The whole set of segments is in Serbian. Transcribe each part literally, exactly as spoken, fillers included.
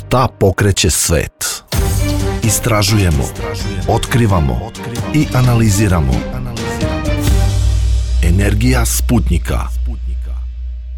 Šta pokreće svet? Istražujemo, otkrivamo i analiziramo. Energija Sputnjika.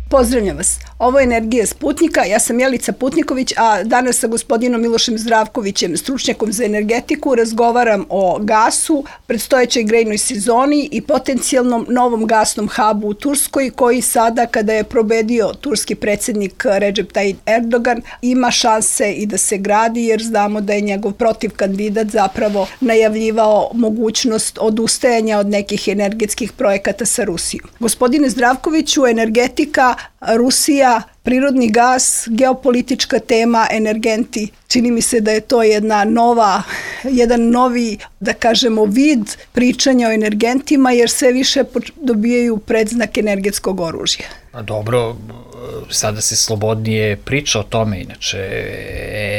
Pozdravljam vas. Ovo je Energija Sputnjika, ja sam Jelica Putniković, a danas sa gospodinom Milošem Zdravkovićem, stručnjakom za energetiku, razgovaram o gasu, predstojećoj grejnoj sezoni i potencijalnom novom gasnom hubu u Turskoj, koji sada, kada je probedio turski predsjednik Recep Tayyip Erdogan, ima šanse i da se gradi, jer znamo da je njegov protiv kandidat zapravo najavljivao mogućnost odustajanja od nekih energetskih projekata sa Rusijom. Gospodine Zdravkoviću, energetika, Rusija, prirodni gas, geopolitička tema, energenti. Čini mi se da je to jedna nova, jedan novi, da kažemo, vid pričanja o energentima, jer sve više dobijaju predznak energetskog oružja. Dobro, sada se slobodnije priča o tome, inače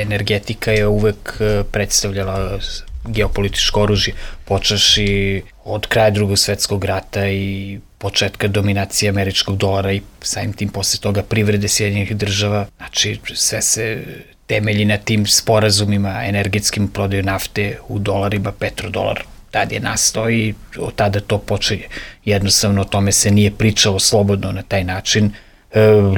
energetika je uvek predstavljala geopolitičko oružje, počeši od kraja Drugog svetskog rata i početka dominacije američkog dolara i samim tim posle toga privrede Sjedinjenih država. Znači, sve se temelji na tim sporazumima energetskim, prodaju nafte u dolarima, petrodolar. Tad je nastao i od tada to počinje. Jednostavno, o tome se nije pričalo slobodno na taj način.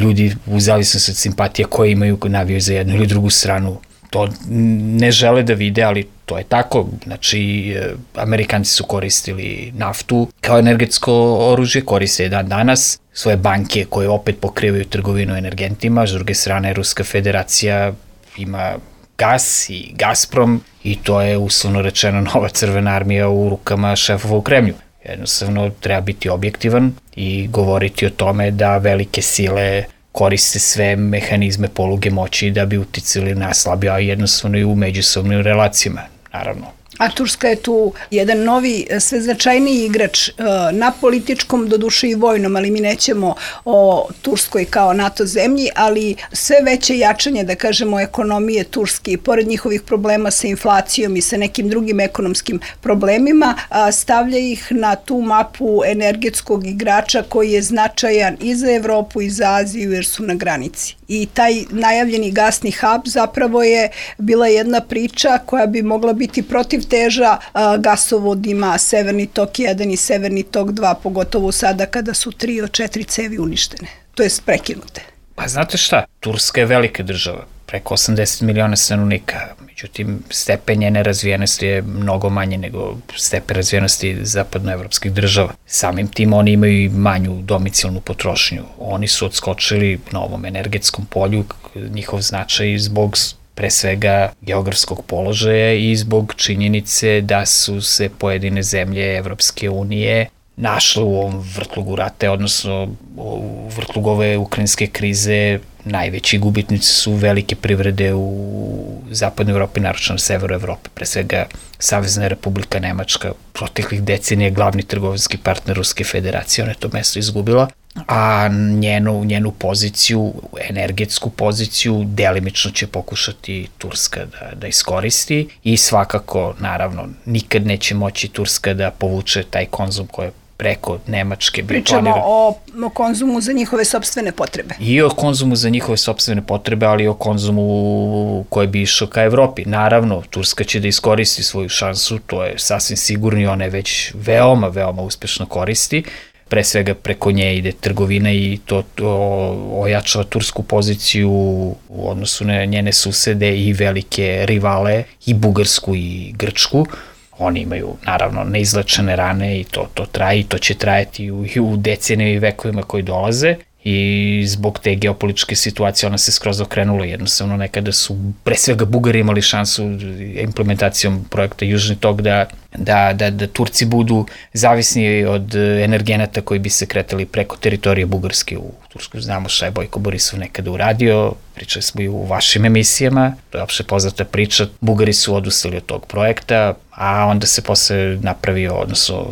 Ljudi, u zavisnosti od simpatija koje imaju, navijaju za jednu ili drugu stranu, to ne žele da vide, ali to je tako. Znači, Amerikanci su koristili naftu kao energetsko oružje, koriste je dan danas, svoje banke koje opet pokrivaju trgovinu energentima, s druge strane Ruska federacija ima gas i Gazprom i to je uslovno rečeno nova crvena armija u rukama šefova u Kremlju. Jednostavno treba biti objektivan i govoriti o tome da velike sile koriste sve mehanizme poluge moći da bi uticali na slabije, a jednostavno i u međusobnim relacijama, naravno. A Turska je tu jedan novi, sve značajniji igrač na političkom, doduše i vojnom, ali mi nećemo o Turskoj kao NATO zemlji, ali sve veće jačanje, da kažemo, ekonomije Turske i pored njihovih problema sa inflacijom i sa nekim drugim ekonomskim problemima, stavlja ih na tu mapu energetskog igrača koji je značajan i za Evropu i za Aziju, jer su na granici. I taj najavljeni gasni hub zapravo je bila jedna priča koja bi mogla biti protiv teža gasovodima Severni tok jedan i Severni tok dva, pogotovo sada kada su tri od četiri cevi uništene, to jest prekinute. Pa znate šta, Turska je velika država, preko osamdeset miliona stanovnika, međutim stepen njene razvijenosti je mnogo manje nego stepen razvijenosti zapadnoevropskih država. Samim tim oni imaju i manju domicilnu potrošnju. Oni su odskočili na ovom energetskom polju, njihov značaj zbog pre svega geografskog položaja i zbog činjenice da su se pojedine zemlje Evropske unije našle u ovom vrtlugu rata, odnosno u vrtlugu ove ukrajinske krize. Najveći gubitnici su velike privrede u zapadnoj Evropi, naročito na severu Evrope, pre svega Savezna Republika Nemačka, proteklih decenija glavni trgovinski partner Ruske federacije, ona je to mesto izgubila, a njenu, njenu poziciju, energetsku poziciju, delimično će pokušati Turska da, da iskoristi i svakako, naravno, nikad neće moći Turska da povuče taj konzum koje preko Nemačke. Pričamo o, o konzumu za njihove sopstvene potrebe. I o konzumu za njihove sopstvene potrebe, ali i o konzumu koji bi išao ka Evropi. Naravno, Turska će da iskoristi svoju šansu, to je sasvim sigurno i ona je već veoma, veoma uspešno koristi. Pre svega preko nje ide trgovina i to, to ojačava tursku poziciju u odnosu na njene susede i velike rivale, i Bugarsku i Grčku. Oni imaju, naravno, neizlečene rane i to, to traje i to će trajati u, u decenijama i vekovima koji dolaze i zbog te geopolitičke situacije ona se skroz okrenula. Jednostavno, nekada su pre svega Bugari imali šansu implementacijom projekta Južni tok da, da, da, da Turci budu zavisni od energenata koji bi se kretali preko teritorije Bugarske u Tursku. Znamo šta je Bojko Borisov nekada uradio, pričali smo i u vašim emisijama, to je opšte poznata priča. Bugari su odustali od tog projekta, a onda se posle napravio, odnosno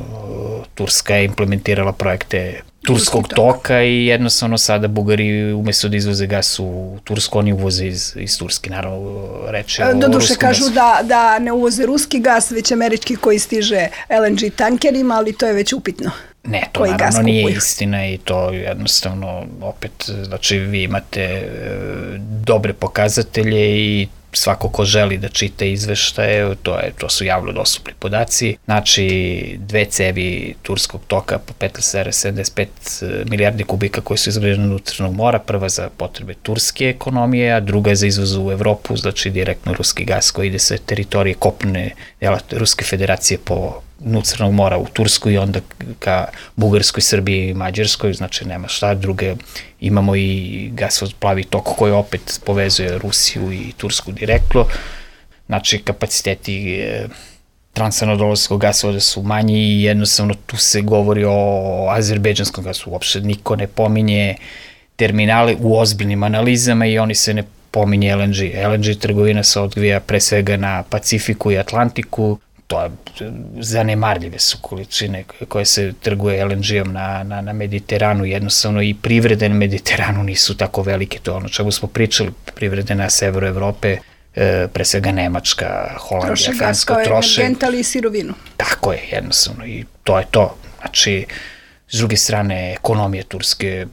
Turska je implementirala projekte Turskog toka i jednostavno sada Bugari umesto da izvoze gas u Tursku, oni uvoze iz, iz Turske, naravno reče o Doduše ruskom kažu gasu. da, da ne uvoze ruski gas, već američki koji stiže el en ge tankerima, ali to je već upitno. Ne, to koji naravno nije istina i to jednostavno opet, znači vi imate e, dobre pokazatelje i svako ko želi da čita izveštaje, to, je, to su javno dostupni podaci. Znači, dve cevi Turskog toka po petnaest zarez sedamdeset pet milijardi kubika koji su izgrađene od Crnog mora, prva za potrebe turske ekonomije, a druga za izvoz u Evropu, znači direktno ruski gas koji ide sa teritorije kopne dela Ruske federacije po dnu Crnog mora u Tursku i onda ka Bugarskoj, Srbiji i Mađarskoj, znači nema šta, druge imamo i gasovod plavi tok koji opet povezuje Rusiju i Tursku direktno, znači kapaciteti e, transanadolskog gasovoda su manji i jednostavno tu se govori o azerbejdžanskom gasu, uopšte niko ne pominje terminale u ozbiljnim analizama i oni se ne pominje el en ge. el en ge trgovina se odvija pre svega na Pacifiku i Atlantiku, to je zanemarljive su količine koje se trguje el en ge-om na, na, na Mediteranu, jednostavno i privrede na Mediteranu nisu tako velike, to je ono čemu smo pričali, privrede na severu Evrope, e, pre svega Nemačka, Holandija, Francuska, troše. Troše gas kao energent, ali i sirovinu. Tako je, jednostavno, i to je to. Znači, s druge strane, ekonomija Turske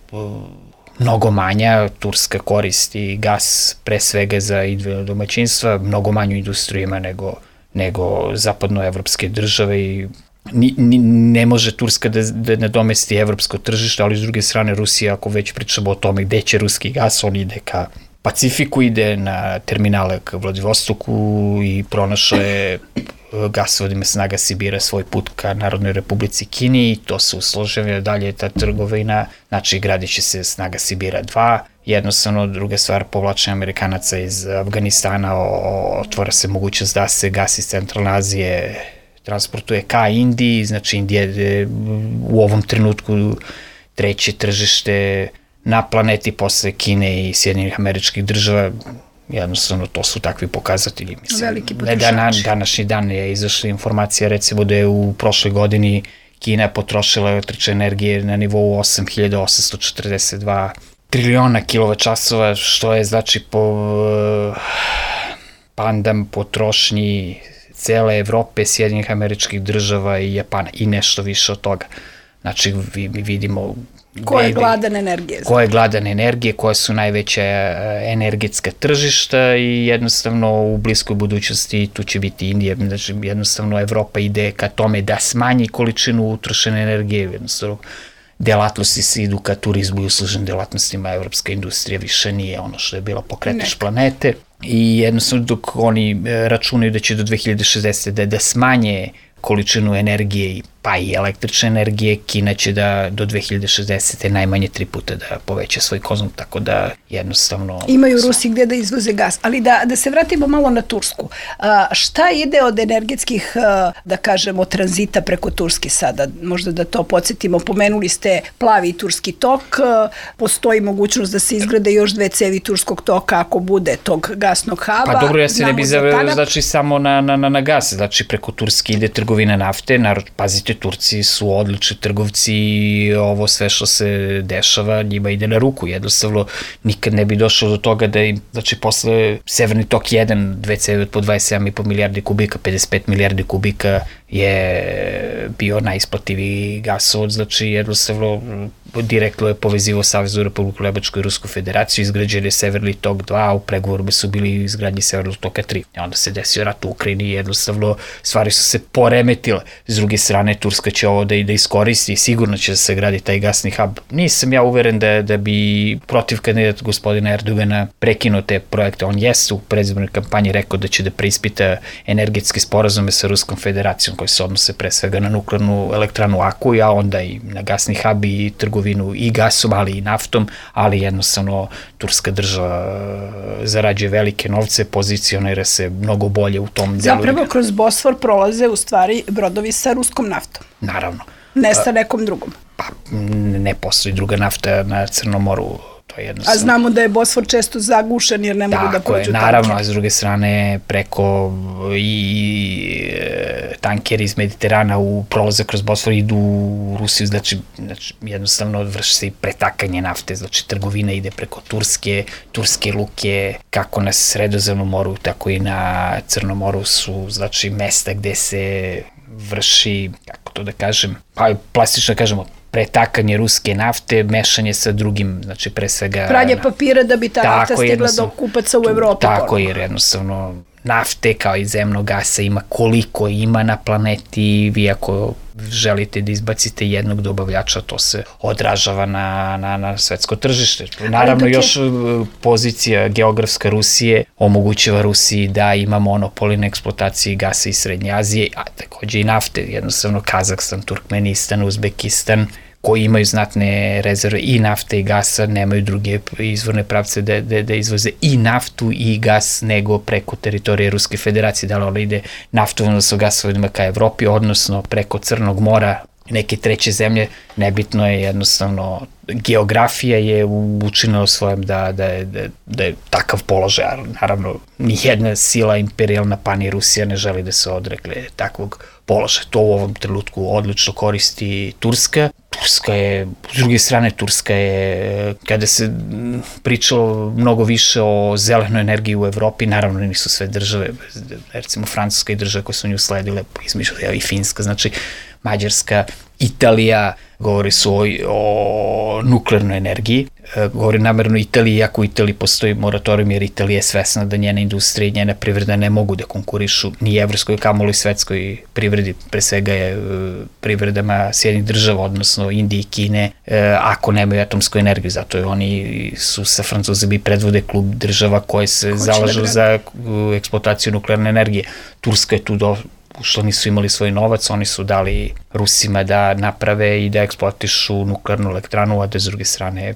mnogo manja, Turska koristi gas pre svega za individualna domaćinstva, mnogo manju industriju ima nego nego zapadnoevropske države i ni, ni, ne može Turska da, da nadomesti evropsko tržište, ali s druge strane Rusija, ako već pričamo o tome gde će ruski gas, on ide ka Pacifiku, ide na terminale ka Vladivostoku i pronašao je gasovodima Snaga Sibira svoj put ka Narodnoj Republici Kini i to se usložava dalje ta trgovina, znači gradit će se Snaga Sibira dva, jednostavno druga stvar, povlačenje Amerikanaca iz Afganistana, otvara se mogućnost da se gas iz Centralne Azije transportuje ka Indiji, znači Indija je u ovom trenutku treće tržište na planeti posle Kine i Sjedinjenih Američkih Država, jednostavno to su takvi pokazatelji. Mislim, veliki potrošači. Dan, današnji dan je izašla informacija recimo da je u prošloj godini Kina potrošila električne energije na nivou osam hiljada osamsto četrdeset dva triliona kilovat-časova, što je znači po pandam potrošnji cele Evrope, Sjedinjenih Američkih Država i Japana i nešto više od toga. Znači mi vidimo ko je gladan energije. Ko je gladan energije, koja su najveća energetska tržišta i jednostavno u bliskoj budućnosti tu će biti Indija. Znači jednostavno Evropa ide ka tome da smanji količinu utrošene energije, jednostavno delatnosti se idu ka turizmu i uslužnim delatnostima, evropska industrija više nije ono što je bilo pokretač planete i jednostavno dok oni računaju da će do dve hiljade šezdeset. da, da smanje količinu energije pa i električne energije, Kina će da do dve hiljade šezdeset. najmanje tri puta da poveća svoj konzum, tako da jednostavno... Imaju Rusi gde da izvoze gas, ali da, da se vratimo malo na Tursku. A, šta ide od energetskih, da kažemo, tranzita preko Turske sada? Možda da to podsjetimo, pomenuli ste plavi turski tok, postoji mogućnost da se izgrade još dve cevi turskog toka ako bude tog gasnog haba. Pa dobro, ja se ne bi zaveo, znači samo na, na, na, na gas, znači preko Turske ide trgovina nafte, narod, pazite, Turci su odlični trgovci i ovo sve što se dešava njima ide na ruku, jednostavno nikad ne bi došlo do toga da im, znači posle Severni tok jedan, dve cevi od po dvadeset sedam i po milijardi kubika, pedeset pet milijardi kubika je bio najisplativiji gasovod, znači jednostavno direktno je povezivao Saveznu Republiku Nemačku i Rusku federaciju, izgrađen je Severni tok dva, u pregovorima su bili izgradnji Severnog toka tri. I onda se desio rat u Ukrajini i jednostavno stvari su se poremetile. S druge strane, Turska će ovo da i da iskoristi i sigurno će da se gradi taj gasni hub. Nisam ja uveren da, da bi protiv kandidata gospodina Erdogana prekinuo te projekte. On jeste u predizbornoj kampanji rekao da će da preispita energetske sporazume sa Ruskom federacijom koji se odnose pre svega na nuklearnu elektranu Akuj, a onda i na gasni hub i trgovinu i gasom, ali i naftom, ali jednostavno turska država zarađuje velike novce, pozicionira se mnogo bolje u tom delu. Zapravo kroz Bosfor prolaze u stvari brodovi sa ruskom naftom. Naravno. Ne sa nekom drugom. Pa ne postoji druga nafta na Crnom moru, to A znamo da je Bosfor često zagušen jer ne mogu da prođu tanker. Naravno, a s druge strane preko i tankeri iz Mediterana u prolazak kroz Bosfor idu u Rusiju, znači, znači jednostavno vrši se i pretakanje nafte, znači trgovina ide preko Turske, turske luke, kako na Sredozemnom moru, tako i na Crnom moru su, znači, mesta gde se vrši, kako to da kažem, pa plastično da kažemo, pretakanje ruske nafte, mešanje sa drugim, znači pre svega... Pranje papira da bi ta nafta stigla do kupaca u Evropi. Tako, jer jednostavno nafte kao i zemnog gasa ima koliko ima na planeti, vi ako želite da izbacite jednog dobavljača, to se odražava na, na, na svetsko tržište. Naravno, još pozicija geografska Rusije omogućava Rusiji da ima monopoli na eksploataciji gasa iz Srednje Azije, a takođe i nafte, jednostavno Kazahstan, Turkmenistan, Uzbekistan, koji imaju znatne rezerve i nafte i gasa, nemaju druge izvorne pravce da, da, da izvoze i naftu i gas nego preko teritorije Ruske federacije, da li ona ide naftovodno sa gasovodima ka Evropi, odnosno preko Crnog mora, neke treće zemlje, nebitno je jednostavno, geografija je učinila svojem da, da, je, da, da je takav položaj, naravno nijedna sila imperijalna pa ni Rusija ne želi da se odrekle takvog položaja. To u ovom trenutku odlično koristi Turska. Turska je, s druge strane, Turska je, kada se pričalo mnogo više o zelenoj energiji u Evropi, naravno nisu sve države, recimo Francuska i države koje su nju sledile, između i Finska, znači Mađarska, Italija, govori su o, o nuklearnoj energiji, govori namerno Italiji, iako u Italiji postoji moratorijum, jer Italija je svesna da njena industrija i njena privreda ne mogu da konkurišu ni evropskoj, kamoli svetskoj privredi, pre svega je privredama Sjedinjenih država, odnosno Indije i Kine, ako nemaju atomsku energiju, zato je oni su sa Francuzima i predvode klub država koje se zalažu za eksploataciju nuklearne energije. Turska je tu do što nisu imali svoj novac, oni su dali Rusima da naprave i da eksploatišu nuklearnu elektranu, a da s druge strane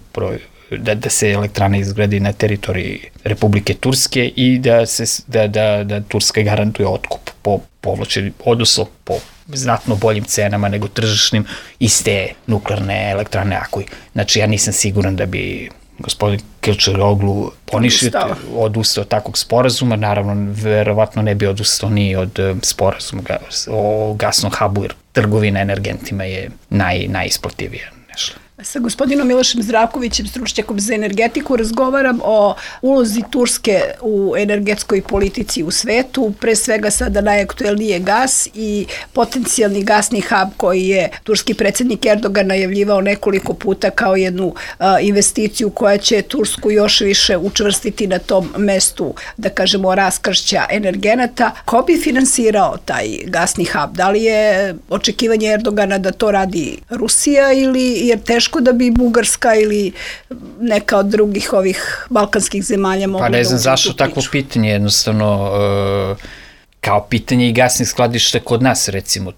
da, da se elektrana izgradi na teritoriji Republike Turske i da, se, da, da, da Turska garantuje otkup po povlačeni, odnosno po znatno boljim cenama nego tržišnim iste nuklearne elektrane. Ako, znači, ja nisam siguran da bi gospodin Kılıçdaroğlu poništio, odustao od takvog sporazuma, naravno, verovatno ne bi odustao ni od sporazuma o gasnom hubu, jer trgovina energentima je naj, najisplativija nešto. Sa gospodinom Milošem Zdravkovićem, stručnjakom za energetiku, razgovaram o ulozi Turske u energetskoj politici u svetu, pre svega sada najaktuelnije gas i potencijalni gasni hub koji je turski predsjednik Erdogan najavljivao nekoliko puta kao jednu a, investiciju koja će Tursku još više učvrstiti na tom mestu, da kažemo, raskršća energenata. Ko bi finansirao taj gasni hub? Da li je očekivanje Erdogana da to radi Rusija ili je teško da bi Bugarska ili neka od drugih ovih balkanskih zemalja mogla da uđe u tu priču? Pa ne znam zašto takvo pitanje, jednostavno kao pitanje i gasnih skladišta kod nas, recimo,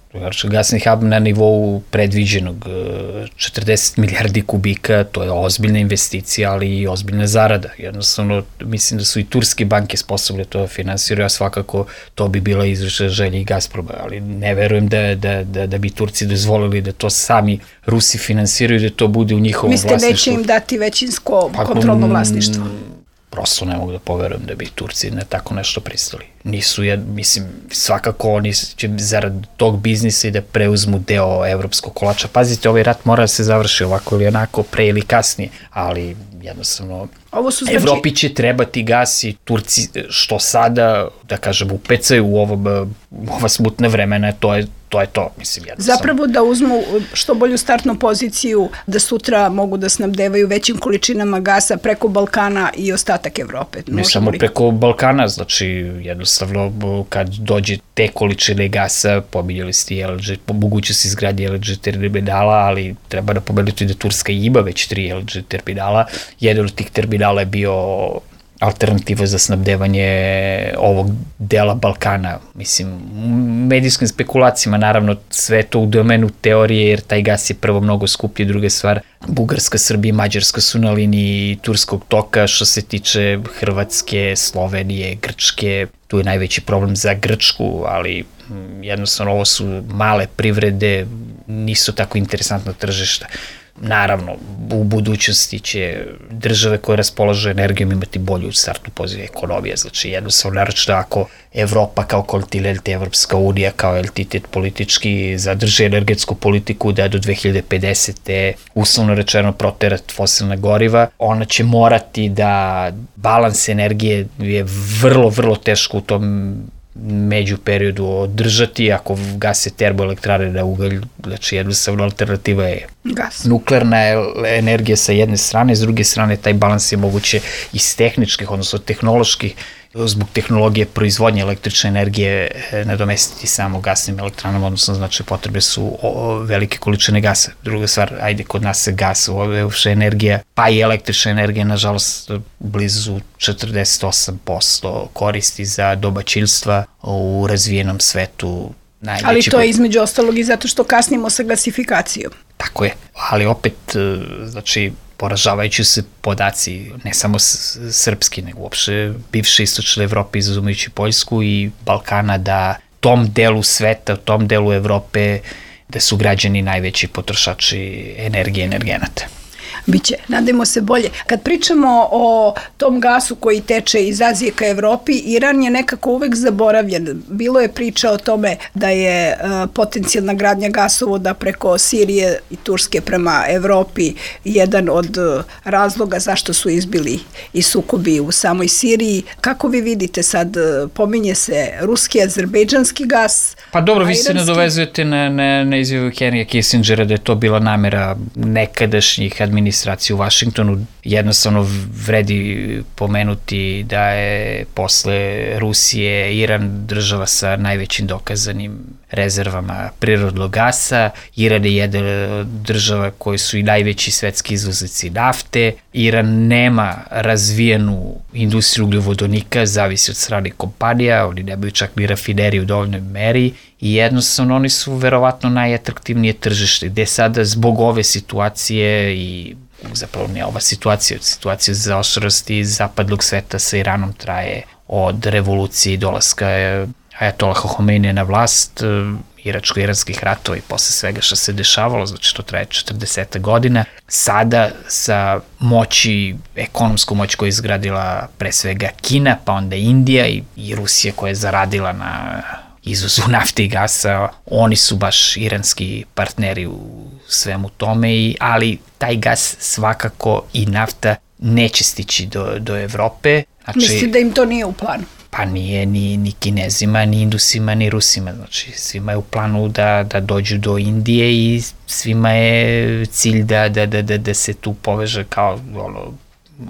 gasni hub na nivou predviđenog četrdeset milijardi kubika, to je ozbiljna investicija, ali i ozbiljna zarada. Jednostavno, mislim da su i turske banke sposobne to finansiraju, a svakako to bi bila izvršena želja i Gazproma, ali ne verujem da, da, da, da bi Turci dozvolili da to sami Rusi finansiraju, da to bude u njihovom Mislite, vlasništvu. Mislite, neće im dati većinsko pa, kontrolno vlasništvo? Prosto ne mogu da poverujem da bi Turci na tako nešto pristali. Nisu, ja, mislim, svakako oni će zarad tog biznisa i da preuzmu deo evropskog kolača. Pazite, ovaj rat mora da se završi ovako ili onako, pre ili kasnije, ali jednostavno Ovo su znači... Evropi će trebati gas i Turci što sada, da kažem, upecaju u ovo, ova smutna vremena, to je to je to, mislim, jednostavno. Zapravo da uzmu što bolju startnu poziciju, da sutra mogu da snabdevaju većim količinama gasa preko Balkana i ostatak Evrope. Ne samo preko Balkana, znači jednostavno kad dođe te količine gasa, pominjali ste L N G, moguće se izgradi L N G terminala, ali treba da pomenuti da Turska ima već tri L N G terminala. Jedan od tih terminala je bio alternativa za snabdevanje ovog dela Balkana. Mislim, medijskim spekulacijama, naravno, sve to u domenu teorije, jer taj gas je prvo mnogo skuplji, druga stvar, Bugarska, Srbija i Mađarska su na liniji turskog toka, što se tiče Hrvatske, Slovenije, Grčke, tu je najveći problem za Grčku, ali jednostavno ovo su male privrede, nisu tako interesantna tržišta. Naravno, u budućnosti će države koje raspolažu energijom imati bolju startnu poziciju ekonomije, znači jednostavno naročito ako Evropa kao kontinent, Evropska unija kao entitet politički zadrži energetsku politiku da do dve hiljade pedesete uslovno rečeno proterati fosilna goriva, ona će morati da balans energije je vrlo, vrlo teško u tom među periodu održati, ako gase termoelektrane na ugalj, znači jednostavno alternativa je gas. Nuklearna energija sa jedne strane, s druge strane taj balans je moguće iz tehničkih, odnosno tehnoloških, zbog tehnologije proizvodnje električne energije nadomestiti samo gasnim elektranama, odnosno znači potrebe su o, velike količine gasa. Druga stvar, ajde, kod nas se gas, uopšte energija, pa i električna energija, nažalost, blizu četrdeset osam posto koristi za domaćinstva u razvijenom svetu. Najveći Ali to je između ostalog i zato što kasnimo sa gasifikacijom. Tako je, ali opet, znači, poražavajući se podaci, ne samo srpski, nego uopšte bivše istočne Evrope, izuzumajući Poljsku i Balkana, da tom delu sveta, tom delu Evrope, da su građani najveći potrošači energije i energenata. Biće, nadajmo se bolje. Kad pričamo o tom gasu koji teče iz Azije ka Evropi, Iran je nekako uvek zaboravljen. Bilo je priča o tome da je uh, potencijalna gradnja gasovoda preko Sirije i Turske prema Evropi jedan od uh, razloga zašto su izbili i sukobi u samoj Siriji. Kako vi vidite sad, uh, pominje se ruski, azerbejdžanski gas? Pa dobro, vi se nadovezujete na, na, na izjavu Henrya Kissingera da je to bila namera nekadašnjih administracija u Vašingtonu. Jednostavno vredi pomenuti da je posle Rusije Iran država sa najvećim dokazanim rezervama prirodnog gasa. Iran je jedna od država koji su i najveći svetski izvoznici nafte. Iran nema razvijenu industriju ugljovodonika, zavisi od strane kompanija, oni nemaju čak ni rafineriju u dovoljnoj meri i jednostavno oni su verovatno najatraktivnije tržište, gde sada zbog ove situacije i zapravo ne ova situacija, situacija zaoštrenosti zapadnog sveta sa Iranom traje od revolucije i dolaska Ajatolaha Homeinija na vlast, iračko-iranskih ratova i posle svega što se dešavalo, znači to traje četrdeset godina. Sada sa moći, ekonomsku moć koju je izgradila pre svega Kina, pa onda Indija i, i Rusija koja je zaradila na izvozu nafte i gasa, oni su baš iranski partneri u svemu tome, i, ali taj gas svakako i nafta neće stići do, do Evrope. Znači, mislim da im to nije u planu? Pa nije ni, ni Kinezima, ni Indusima, ni Rusima. Znači, svima je u planu da, da dođu do Indije i svima je cilj da, da, da, da, da se tu poveže kao ono,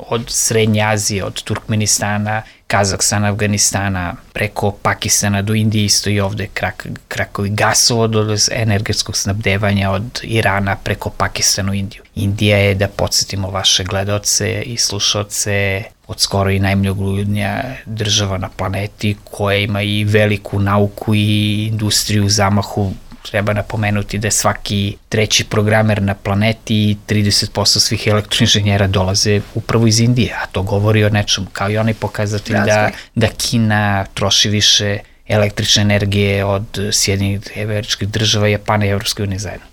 od Srednje Azije, od Turkmenistana, Kazahstana, Afganistana, preko Pakistana do Indije, isto i ovde krak, krakovi gasovod od energetskog snabdevanja od Irana preko Pakistana u Indiju. Indija je, da podsjetimo vaše gledaoce i slušaoce, od skoro i najmnogoljudnija država na planeti koja ima i veliku nauku i industriju u zamahu. Treba napomenuti da je svaki treći programer na planeti i trideset posto svih elektroinženjera dolaze upravo iz Indije, a to govori o nečemu, kao i onaj pokazatelj da, da Kina troši više električne energije od Sjedinjenih Američkih Država, Japana i Evropske unije zajedno.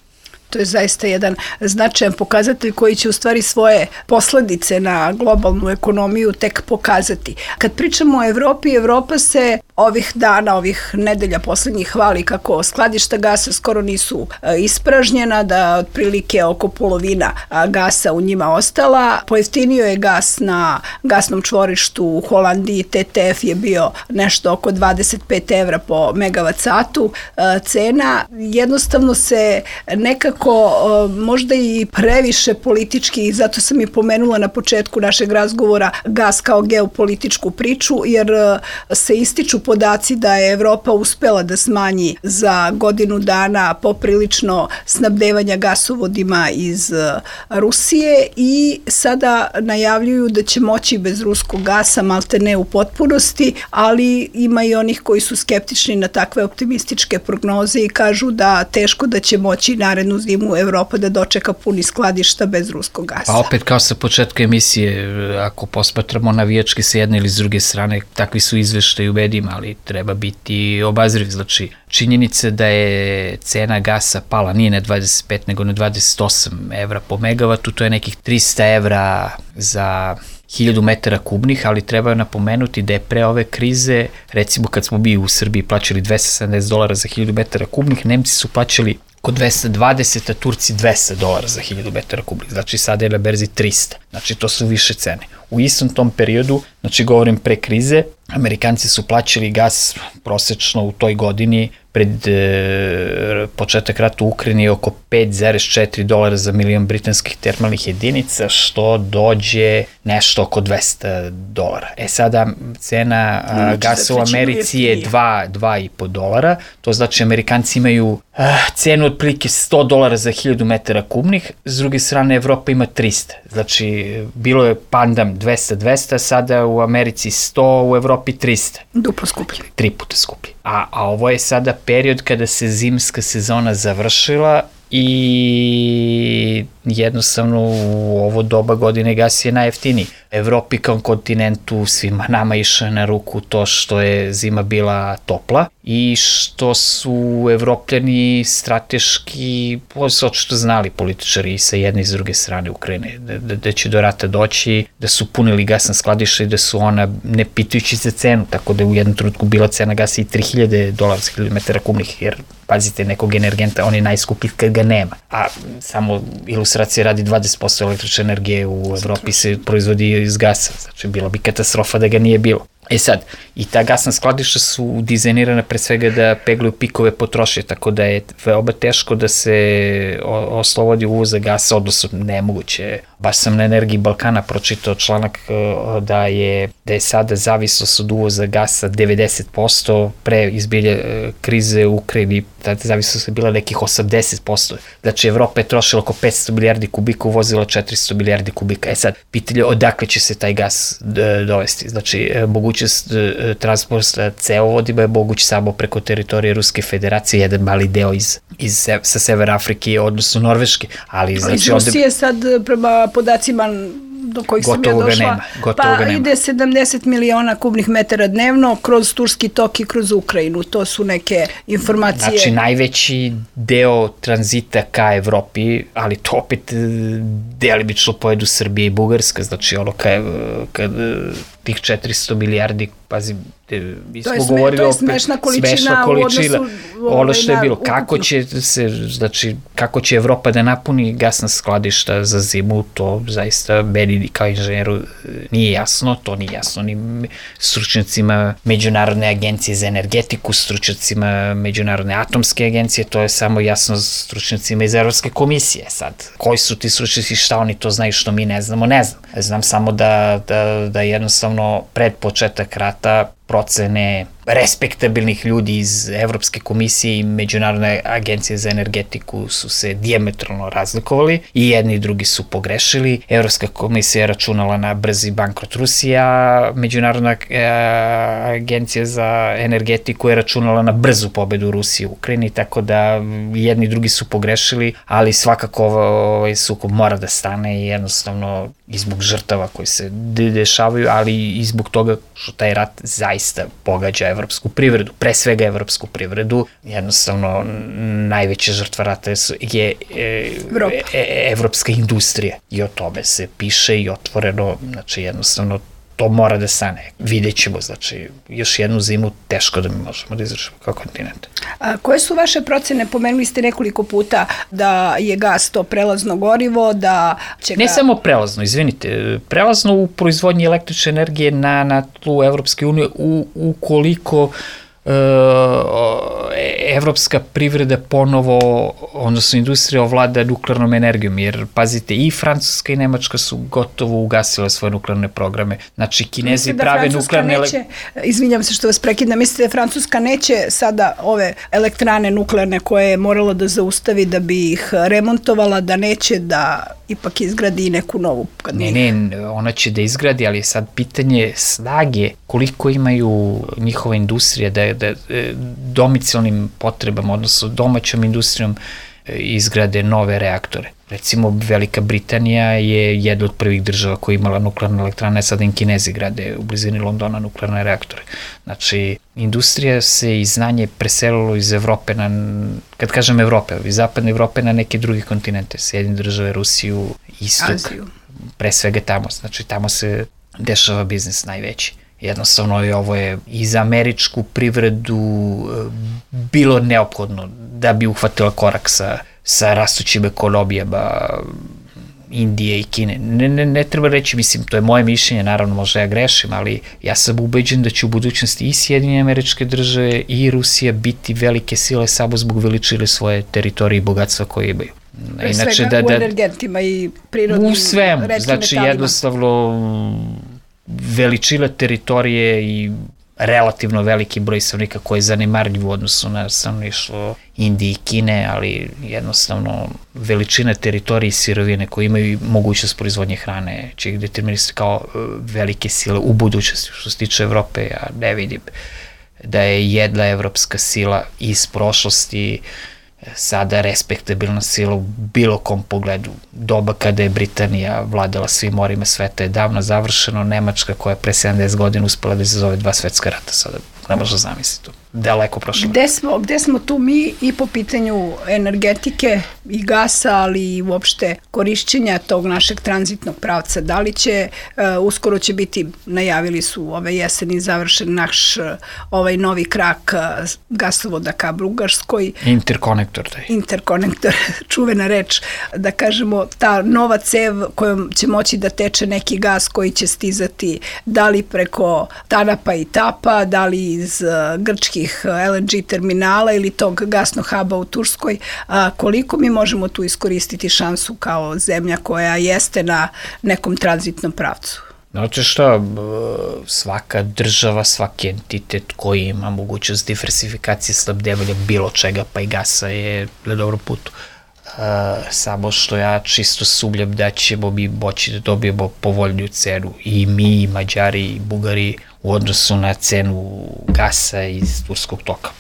To je zaista jedan značajan pokazatelj koji će u stvari svoje posledice na globalnu ekonomiju tek pokazati. Kad pričamo o Evropi, Evropa se ovih dana, ovih nedelja poslednjih hvali kako skladišta gasa skoro nisu ispražnjena, da otprilike oko polovina gasa u njima ostala. Pojeftinio je gas na gasnom čvorištu u Holandiji, T T F je bio nešto oko dvadeset pet evra po megavat satu cena. Jednostavno se nekako možda i previše politički, i zato sam i pomenula na početku našeg razgovora gas kao geopolitičku priču, jer se ističu podaci da je Evropa uspela da smanji za godinu dana poprilično snabdevanja gasovodima iz Rusije i sada najavljuju da će moći bez ruskog gasa, malte ne u potpunosti, ali ima i onih koji su skeptični na takve optimističke prognoze i kažu da teško da će moći narednu zimu zimu Evropa da dočeka puni skladišta bez ruskog gasa. Pa opet kao sa početka emisije, ako posmatramo navijački sa jedne ili s druge strane, takvi su izveštaji u medijima, ali treba biti obazriv. Znači, činjenica da je cena gasa pala, nije na dvadeset pet nego na dvadeset osam evra po megavatu, to je nekih trista evra za hiljadu metara kubnih, ali treba napomenuti da je pre ove krize, recimo kad smo bi u Srbiji plaćali dvesta sedamdeset dolara za hiljadu metara kubnih, Nemci su plaćali kod dvesta dvadeset, a Turci dvesta dolara za hiljadu metara kubnih, znači sada je na berzi trista, znači to su više cene. U istom tom periodu, znači govorim pre krize, Amerikanci su plaćali gas prosečno u toj godini pred e, početak rata u Ukrajini oko pet zarez četiri dolara za milion britanskih termalnih jedinica, što dođe nešto oko dvesta dolara. E sada cena a, gasa u Americi je dva i po dolara, to znači Amerikanci imaju a, cenu otprilike sto dolara za hiljadu metara kubnih, s druge strane Evropa ima trista, znači bilo je pandam dvesta dvesta, sada u Americi sto, u Evropi trista. Duplo skuplje. Tri puta skuplje. A, a ovo je sada period kada se zimska sezona završila i jednostavno u ovo doba godine gas je najjeftiniji. Evropi kao kontinentu, svima nama išao na ruku to što je zima bila topla i što su Evropljani strateški, su očito znali političari sa jedne i s druge strane Ukrajine, da, da, da će do rata doći, da su punili gasna skladišta i da su ona, ne pitajući za cenu, tako da je u jednom trenutku bila cena gasa i tri hiljade dolara za hiljadu metara kubnih, jer pazite, nekog energenta, on je najskuplji kad ga nema. A samo ilustracija radi dvadeset posto električne energije u Evropi se proizvodi iz gasa, znači bilo bi katastrofa da ga nije bilo. E sad, i ta gasna skladišta su dizajnirana pre svega da peglaju pikove potrošnje, tako da je veoma teško da se oslobodi uvoza gasa, odnosno nemoguće. Baš sam na Energiji Balkana pročitao članak da je, da je sada zavisnost od uvoza gasa devedeset posto, pre izbilja krize u Ukrajini, ta zavisnost je bila nekih osamdeset posto. Znači, Evropa je trošila oko petsto milijardi kubika, uvozila četiristo milijardi kubika. E sad, pitanje odakle će se taj gas dovesti? Znači, mogućnost transporta cevovodima je moguć samo preko teritorije Ruske federacije, jedan mali deo iz, iz, sa Severa Afrike, odnosno Norveške. Ali, znači, iz Rusije ovde... sad prema podacima do kojih sam ja došla, nema, pa nema. Ide sedamdeset miliona kubnih metara dnevno kroz Turski tok i kroz Ukrajinu. To su neke informacije. Znači, najveći deo tranzita ka Evropi, ali to opet delimično pojedu Srbije i Bugarska, znači ono kad, kad tih četiristo milijardi, pazi, mi smo govorili to je smešna količina, smešna količina u odnosu ono što je bilo, kako će se, znači, kako će Evropa da napuni gasna skladišta za zimu, to zaista meni kao inženjeru nije jasno, to nije jasno ni stručnjacima Međunarodne agencije za energetiku, stručnjacima Međunarodne atomske agencije, to je samo jasno stručnjacima iz Evropske komisije. Sad, koji su ti stručnjaci, šta oni to znaju što mi ne znamo, ne znam. Znam samo da, da, da jednostavno pred početak rata procene respektabilnih ljudi iz Evropske komisije i Međunarodne agencije za energetiku su se dijametralno razlikovali i jedni i drugi su pogrešili. Evropska komisija je računala na brzi bankrot Rusije, a Međunarodna agencija za energetiku je računala na brzu pobedu Rusije u Ukrajini, tako da jedni i drugi su pogrešili, ali svakako ovaj sukob mora da stane i jednostavno i zbog žrtava koji se dešavaju, ali i zbog toga što taj rat zaista pogađa evropsku privredu, pre svega evropsku privredu, jednostavno najveća žrtva rata je e, e, evropska industrija i o tome se piše i otvoreno, znači jednostavno to mora da stane. Vidjet ćemo, znači, još jednu zimu teško da mi možemo da izrašimo kao kontinent. A koje su vaše procene? Pomenuli ste nekoliko puta da je gas to prelazno gorivo, da će ga... Ne samo prelazno, izvinite, prelazno u proizvodnji električne energije na, na tlu Evropske unije u, ukoliko evropska privreda ponovo, odnosno industrija ovlada nuklearnom energijom, jer pazite, i Francuska i Nemačka su gotovo ugasile svoje nuklearne programe. Znači, Kinezi da prave nuklearne... Neće, izvinjam se što vas prekidam, mislite da Francuska neće sada ove elektrane nuklearne koje je morala da zaustavi da bi ih remontovala, da neće da ipak izgradi neku novu? Ne, ne, ona će da izgradi, ali sad pitanje snage, koliko imaju njihova industrija da, da domicilnim potrebama, odnosno domaćom industrijom izgrade nove reaktore. Recimo, Velika Britanija je jedna od prvih država koja je imala nuklearne elektrane, sada im Kinezi grade u blizini Londona nuklearne reaktore. Znači, industrija se i znanje preselilo iz Evrope na, kad kažem Evrope, iz zapadne Evrope na neke druge kontinente, Sjedinjene države, Rusiju, Istok, Aziju. Pre svega tamo, znači tamo se dešava biznis najveći. Jednostavno je ovo je i za američku privredu bilo neophodno da bi uhvatila korak sa, sa rastućim ekonomijama Indije i Kine. Ne, ne, ne treba reći, mislim, to je moje mišljenje, naravno možda ja grešim, ali ja sam ubeđen da će u budućnosti i Sjedinjene Američke Države i Rusija biti velike sile samo zbog veličine svoje teritorije i bogatstva koje imaju. Pre Inače, svega da, da, u energentima i prirodnim u svemu, znači metalima. Jednostavno veličina teritorije i relativno veliki broj stanovnika koji je zanemarljiv u odnosu na stanovništvo Indije i Kine, ali jednostavno veličina teritorije i sirovine koje imaju mogućnost proizvodnje hrane će ih determinisati kao velike sile u budućnosti. Što se tiče Evrope, ja ne vidim da je jedna evropska sila iz prošlosti sada respektabilna sila u bilo kom pogledu. Doba kada je Britanija vladala svim morima sveta je davno završeno, Nemačka koja je pre sedamdeset godina uspela da izazove dva svetska rata, sada ne možda zamisliti to. Daleko prošlo. Gde smo, gde smo tu mi i po pitanju energetike i gasa, ali i uopšte korišćenja tog našeg tranzitnog pravca? Da li će, uh, uskoro će biti, najavili su ove jeseni završen naš uh, ovaj novi krak uh, gasovoda ka Bugarskoj. Interkonektor. Taj. Interkonektor, čuvena reč, da kažemo, ta nova cev kojom će moći da teče neki gas koji će stizati da li preko Tanapa i Tapa, da li iz uh, grčkih el en ge terminala ili tog gasnog huba u Turskoj, a, koliko mi možemo tu iskoristiti šansu kao zemlja koja jeste na nekom tranzitnom pravcu? Znači šta, svaka država, svaki entitet koji ima mogućnost diversifikacije, snabdevanja bilo čega, pa i gasa je na dobrom putu. Uh, samo što ja čisto sumnjam da ćemo mi moći da dobijemo povoljniju cenu i mi, i Mađari, i Bugari u odnosu na cenu gasa iz Turskog toka.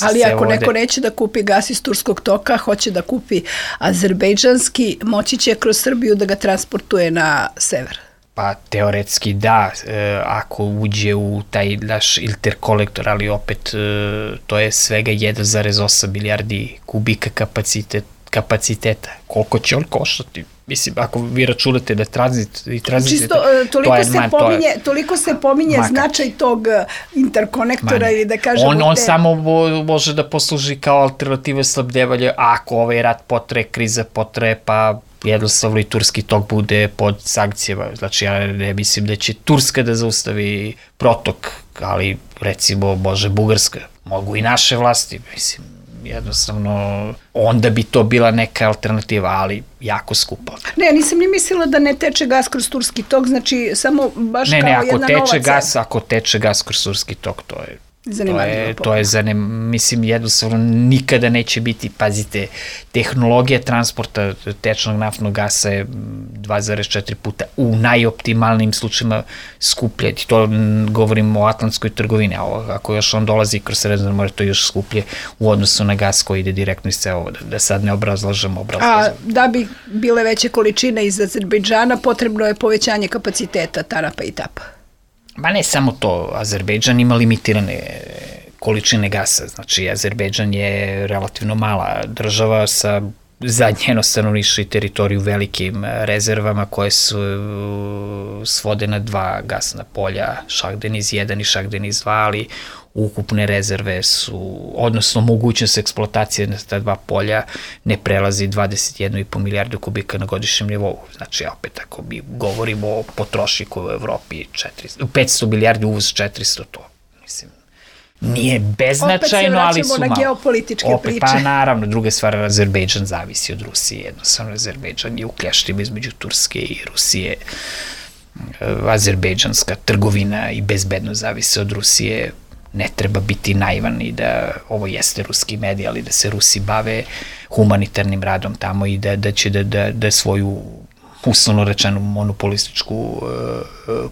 Ali ako neko neće da kupi gas iz Turskog toka, hoće da kupi azerbejdžanski, moći će kroz Srbiju da ga transportuje na sever. Pa teoretski da, e, ako uđe u taj naš interkonektor, ali opet e, to je svega jedan zarez osam milijardi kubika kapacitet, kapaciteta. Koliko će on koštati? Mislim, ako vi računate da tranzit i tranzit... Čisto, toliko, je, se man, pominje, to je, toliko se pominje maka. Značaj tog interkonektora ili da kažemo... On, on te... samo može da posluži kao alternativa slabdevanja ako ovaj rat potre, kriza potre, pa jednostavno i turski tok bude pod sankcijama. Znači, ja ne mislim da će Turska da zaustavi protok, ali recimo može Bugarska, mogu i naše vlasti, mislim, jednostavno, onda bi to bila neka alternativa, ali jako skupa. Ne, nisam ni mislila da ne teče gas kroz turski tok, znači samo baš ne, kao ne, jedna nova cena. Gas, ako teče gas kroz turski tok, to je zanimljivo. To je, to je zanim, mislim, jednostavno nikada neće biti, pazite, tehnologija transporta tečnog naftnog gasa je dva zarez četiri puta u najoptimalnim slučajima skuplje. To govorimo o atlantskoj trgovini, a ako još on dolazi kroz Sredozemno more, to je još skuplje u odnosu na gas koji ide direktno iz cevovoda. Da sad ne obrazlažemo, obrazlažemo. A da bi bile veće količine iz Azerbejdžana, potrebno je povećanje kapaciteta Tanapa i Tapa. Ma ne samo to, Azerbejdžan ima limitirane količine gasa, znači Azerbejdžan je relativno mala država sa za njeno stanovništvo i teritoriju velikim rezervama koje su svode na dva gasna polja, Šahdeniz jedan i Šahdeniz dva, ali ukupne rezerve su, odnosno mogućnost eksploatacije na ta dva polja ne prelazi dvadeset jedna i po milijardu kubika na godišnjem nivou. Znači, opet, ako mi govorimo o potrošniku u Evropi, četiristo, petsto milijardi uvoz četiristo, to, mislim, nije beznačajno, ali su malo. Opet se vraćamo na geopolitičke opet, priče. Pa naravno, druga stvar, Azerbejdžan zavisi od Rusije, jednostavno Azerbejdžan je u kljaštima između Turske i Rusije. Azerbejdžanska trgovina i bezbedno zavisi od Rusije. Ne treba biti naivan i da ovo jeste ruski medij, ali da se Rusi bave humanitarnim radom tamo i da, da će da, da, da svoju uslovno rečenu monopolističku uh,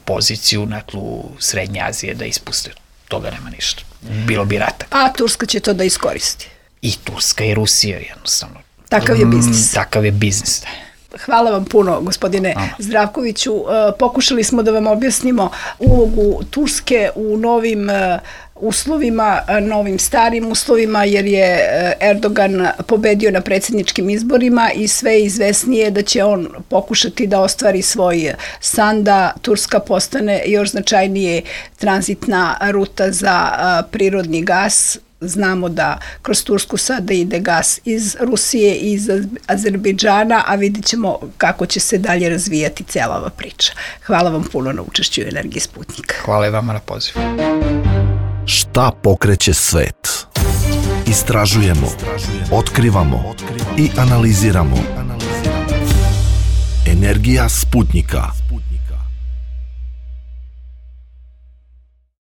poziciju na tlu Srednje Azije da ispuste. Toga nema ništa. Bilo bi rata. A Turska će to da iskoristi? i Turska i Rusija jednostavno. Takav je biznis. Mm, takav je biznis, da. Hvala vam puno, gospodine Aha. Zdravkoviću. Pokušali smo da vam objasnimo ulogu Turske u novim uslovima, novim starim uslovima, jer je Erdogan pobedio na predsjedničkim izborima i sve je izvesnije da će on pokušati da ostvari svoj san da Turska postane još značajnije tranzitna ruta za prirodni gas. Znamo da kroz Tursku sada ide gas iz Rusije i iz Azerbejdžana, a vidit ćemo kako će se dalje razvijati cijela ova priča. Hvala vam puno na učešću u Energiji Sputnika. Hvala i vama na pozivu. Šta pokreće svet? Istražujemo, otkrivamo i analiziramo. Energija Sputnika.